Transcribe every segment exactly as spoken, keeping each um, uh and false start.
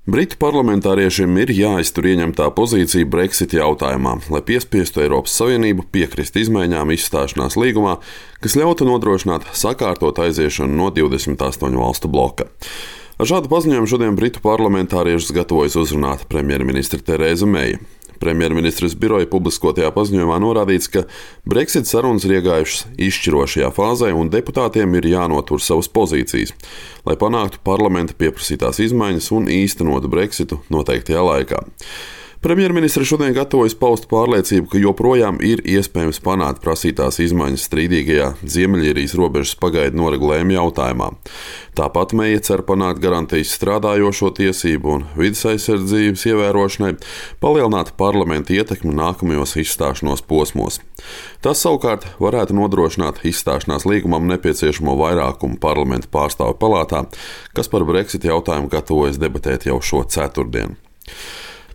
Britu parlamentāriešiem ir jāiztur ieņemtā pozīcija Brexit jautājumā, lai piespiestu Eiropas Savienību piekrist izmaiņām izstāšanās līgumā, kas ļautu nodrošināt sakārtot aiziešanu no divdesmit astoņu valstu bloka. Ar šādu paziņojumu šodien Britu parlamentāriešus gatavojas uzrunāt premjerministre Terēza Meija. Premjerministres biroja publiskotajā paziņojumā norādīts, ka Brexit sarunas ir iegājušas izšķirošajā fāzē un deputātiem ir jānotur savas pozīcijas, lai panāktu parlamenta pieprasītās izmaiņas un īstenotu Brexitu noteiktajā laikā. Premjerministre šodien gatavojas paust pārliecību, ka joprojām ir iespējams panākt prasītās izmaiņas strīdīgajā Ziemeļīrijas robežas pagaidu noregulējuma jautājumā. Tāpat Meija cer panākt garantijas strādājošo tiesību un vides aizsardzības ievērošanai, palielināt parlamenta ietekmi nākamajos izstāšanos posmos. Tas savukārt varētu nodrošināt izstāšanās līgumam nepieciešamo vairākumu parlamenta pārstāvju palātā, kas par Brexit jautājumu gatavojas debatēt jau šo ceturtdienu.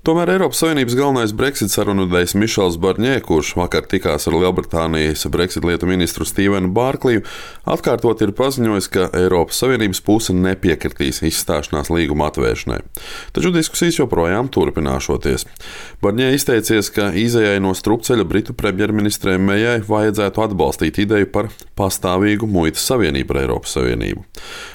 Tomēr Eiropas Savienības galvenais Brexit sarunvedējs Mišels Barņē, kurš vakar tikās ar Lielbritānijas Brexit lietu ministru Stīvenu Bārkliju, atkārtot ir paziņojis, ka Eiropas Savienības puse nepiekritīs izstāšanās līguma atvēršanai. Taču diskusijas joprojām turpināšoties. Barņē izteicies, ka izejai no strupceļa Britu premjerministrei Mejai vajadzētu atbalstīt ideju par pastāvīgu muitas savienību ar Eiropas Savienību.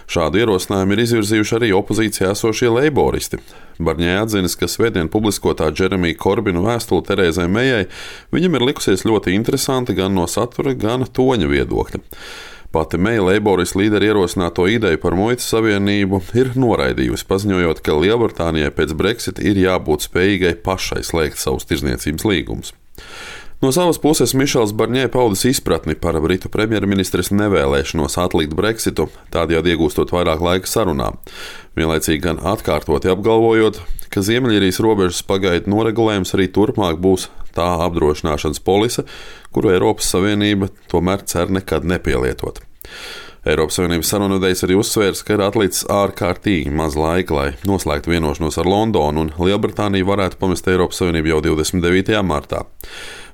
Šādu ierosinājumu ir izvirzījuši arī opozīcijā esošie leiboristi. Barņē atzinis, ka svētdien publiskotā Džeremija Korbina vēstule Terēzai Mejai viņam ir likusies ļoti interesanti gan no satura, gan toņa viedokļa. Pati Meija leiboristu līderi ierosināto ideju par muitas savienību ir noraidījusi, paziņojot, ka Lielbritānijai pēc Brexit ir jābūt spējīgai pašai slēgt savus tirdzniecības līgumus. No savas puses Mišels Barņē paudis izpratni par Britu premjerministres nevēlēšanos atlikt Brexitu, tādējādi iegūstot vairāk laika sarunām. Vienlaicīgi gan atkārtoti apgalvojot, ka Ziemeļīrijas robežas pagaidu noregulējums arī turpmāk būs tā apdrošināšanas polise, kuru Eiropas Savienība tomēr cer nekad nepielietot. Eiropas Savienības sarunvedējs arī uzsvērs, ka ir atlicis ārkārtīgi maz laika, lai noslēgtu vienošanos ar Londonu, un Lielbritānija varētu pamest Eiropas Savienību jau divdesmit devītajā martā.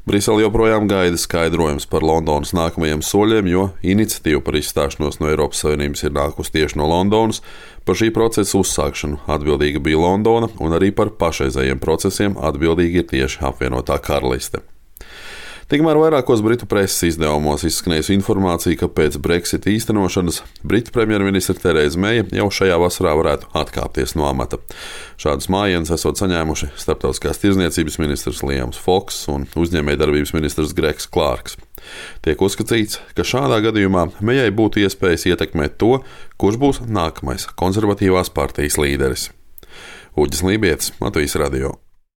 Brisele joprojām gaida skaidrojums par Londonas nākamajiem soļiem, jo iniciatīva par izstāšanos no Eiropas Savienības ir nākusi tieši no Londonas. Par šī procesa uzsākšanu atbildīga bija Londona, un arī par pašreizējiem procesiem atbildīga ir tieši apvienotā karaliste. Tikmēr vairākos Britu preses izdevumos izskanējusi informācija, ka pēc Brexit īstenošanas Britu premjerministre Terēza Meija jau šajā vasarā varētu atkāpties no amata. Šādus mājienus esot saņēmuši starptautiskās tirdzniecības ministrs Liams Foks un uzņēmējdarbības ministrs Gregs Klārks. Tiek uzskatīts, ka šādā gadījumā Meijai būtu iespējas ietekmēt to, kurš būs nākamais konservatīvās partijas līderis. Uģis Lībietis, Latvijas radio.